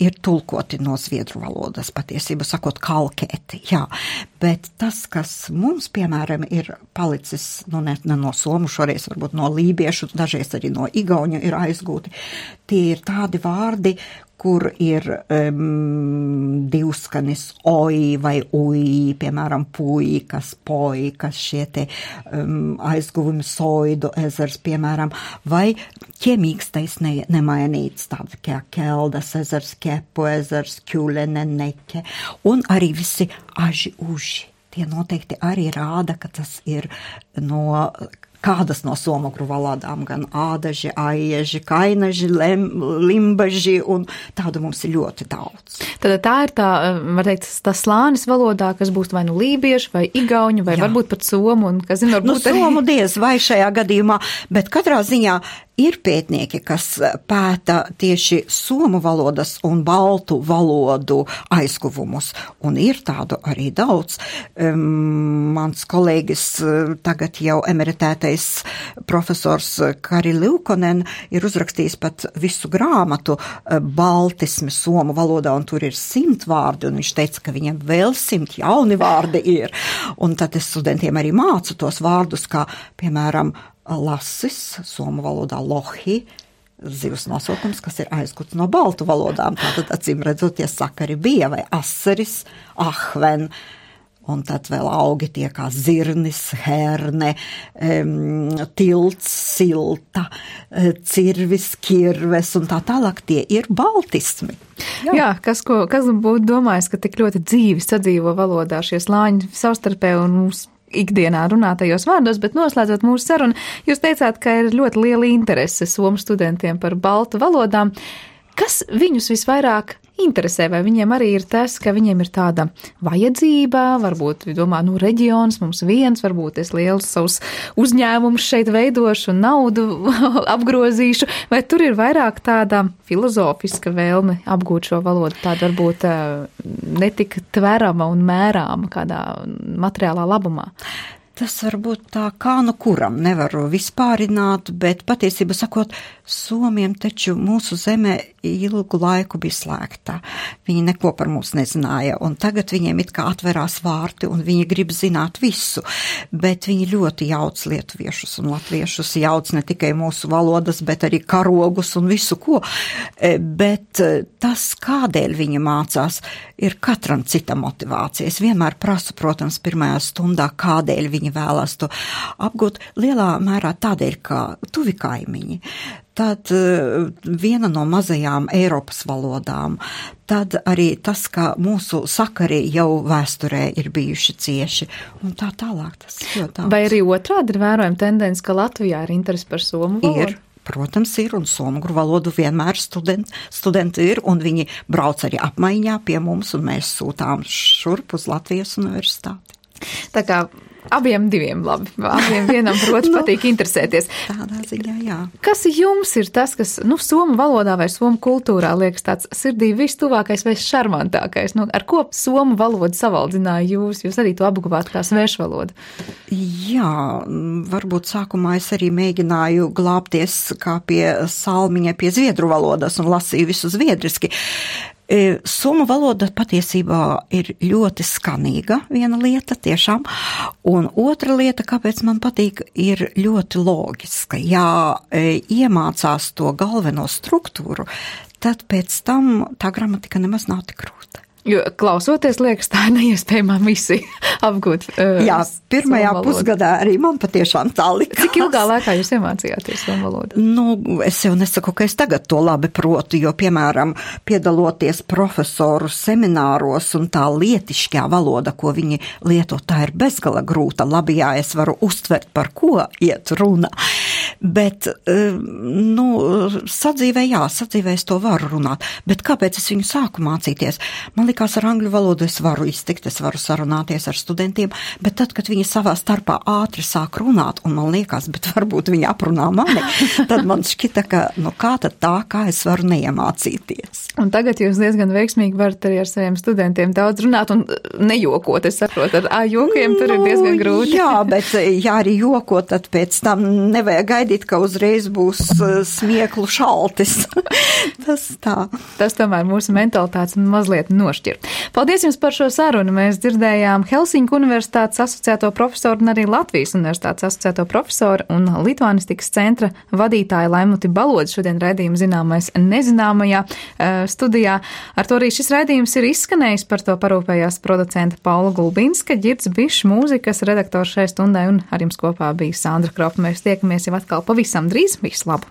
ir tulkoti no zviedru valodas, patiesībā sakot kalkēti, jā. Bet tas, kas mums, piemēram, ir palicis, ne no somu, šoreiz varbūt no lībiešu, dažreiz arī no igauņu ir aizgūti, tie ir tādi vārdi, kur ir divskanis oi vai ui, piemēram, puikas, poikas, šie te aizguvumi soidu ezers, piemēram, vai ķemīgstais nemainīts, tādi kā keldas ezers, kepu ezers, kjulene, neke, un arī visi aži uži. Tie noteikti arī rāda, ka tas ir no kādas no somogru valodām, gan ādaži, aieži, kainaži, limbaži, un tādu mums ir ļoti daudz. Tad tā ir tā, var teikt, tā slānis valodā, kas būs vai nu lībiešu, vai igauņu, vai varbūt pat somu, un, kas zin, varbūt somu diez vai šajā gadījumā, bet katrā ziņā ir pētnieki, kas pēta tieši somu valodas un baltu valodu aizguvumus, un ir tādu arī daudz. Mans kolēģis, tagad jau emeritētais profesors Kari Liukonen ir uzrakstījis pat visu grāmatu baltismi somu valodā, un tur ir 100 vārdi, un viņš teica, ka viņam vēl 100 jauni vārdi ir. Un tad es studentiem arī mācu tos vārdus, kā, piemēram, lasis, somu valodā lohi, zivs nosaukums, kas ir aizguts no baltu valodām. Tātad, acīm redzot, tie sakari bija, vai asaris, ahven, un tad vēl augi tie kā zirnis, herne, tilts, silta, cirvis, kirves, un tā tālāk tie ir baltismi. Jā, kas būtu domājis, ka tik ļoti dzīvi sadzīvo valodā šie slāņi savstarpēji un mūsu ikdienā runātajos vārdos, bet noslēdzot mūsu sarunu, jūs teicāt, ka ir ļoti liela interese somu studentiem par baltu valodām. Kas viņus visvairāk interesē, vai viņiem arī ir tas, ka viņiem ir tāda vajadzība, varbūt, domā, reģions mums viens, varbūt es lielus savus uzņēmumus šeit veidošu un naudu apgrozīšu, vai tur ir vairāk tāda filozofiska vēlme apgūt šo valodu, tāda varbūt netik tverama un mērāma kādā materiālā labumā? Tas varbūt tā kā kuram nevaru vispārināt, bet patiesībā sakot, somiem taču mūsu zeme ilgu laiku bija slēgta. Viņi neko par mums nezināja, un tagad viņiem it kā atverās vārti, un viņi grib zināt visu, bet viņi ļoti jauc lietuviešus un latviešus, jauc ne tikai mūsu valodas, bet arī karogus un visu ko. Bet tas, kādēļ viņi mācās, ir katram cita motivācija. Es vienmēr prasu, protams, pirmajā stundā, kādēļ viņi vēlas to apgūt, lielā mērā tādēļ, ka tuvi kaimiņi. Tad viena no mazajām Eiropas valodām, tad arī tas, ka mūsu sakari jau vēsturē ir bijuši cieši, un tā tālāk tas ļoti daudz. Vai arī otrādi ir vērojama tendence, ka Latvijā ir interesi par somu valodu? Ir. Protams, ir, un somogru valodu vienmēr studenti ir, un viņi brauc arī apmaiņā pie mums, un mēs sūtām šurp uz Latvijas universitāti. Tā kā abiem diviem labi, abiem vienam proti patīk interesēties. Tādā ziņā, jā. Kas jums ir tas, kas, somu valodā vai somu kultūrā liekas tāds sirdī vistuvākais vai šarmantākais? Ar ko somu valodu savaldzināja jūs? Jūs arī to apguvāt kā svešvalodu? Jā, varbūt sākumā es arī mēģināju glābties kā pie salmiņa pie zviedru valodas un lasīju visu zviedriski. Somu valoda patiesībā ir ļoti skanīga, viena lieta tiešām, un otra lieta, kāpēc man patīk, ir ļoti loģiska. Ja iemācās to galveno struktūru, tad pēc tam tā gramatika nemaz nav tik grūta. Jo klausoties, liekas, tā ir neiespējamā misija apgūt. Jā, pirmajā pusgadā arī man patiešām tā likās. Cik ilgā laikā jūs iemācījāties somu valodu? Es jau nesaku, ka es tagad to labi protu, jo, piemēram, piedaloties profesoru semināros un tā lietišķā valoda, ko viņi lieto, tā ir bezgala grūta. Labi, jā, es varu uztvert, par ko iet runa. Bet, sadzīvē es to varu runāt. Bet kāpēc es viņu sāku mācīties? Man likās, ar angļu valodu es varu iztikt, es varu sarunāties ar studentiem, bet tad, kad viņi savā starpā ātri sāk runāt, un man liekas, bet varbūt viņi aprunā mani, tad man šķita, ka, kā tad tā, kā es varu neiemācīties. Un tagad jūs diezgan veiksmīgi varat arī ar saviem studentiem daudz runāt un nejokot, es saprotu, ar jokiem tur ir diezgan grūti. Jā, bet ja arī jokot, tad pēc tam nevajag gaidīt, gaidīt, ka uzreiz būs smieklu šaltis. Tas tomēr mūsu mentalitātes mazliet nošķir. Paldies jums par šo sarunu. Mēs dzirdējām Helsiņu Universitātes asociēto profesoru un arī Latvijas Universitātes asociēto profesoru un Lituānistikas centra vadītāju Laimuti Balodzi. Šodien raidījums zināmais nezināmajā studijā. Ar to arī šis raidījums ir izskanējis. Par to parūpējās producenta Paula Gulbinska, Ģirds Bišs, mūzikas redaktors šai stundai, un ar jums kopā bija Sandra Kropa. Mēs tiekamies jau atkal pavisam drīz. Visu labu!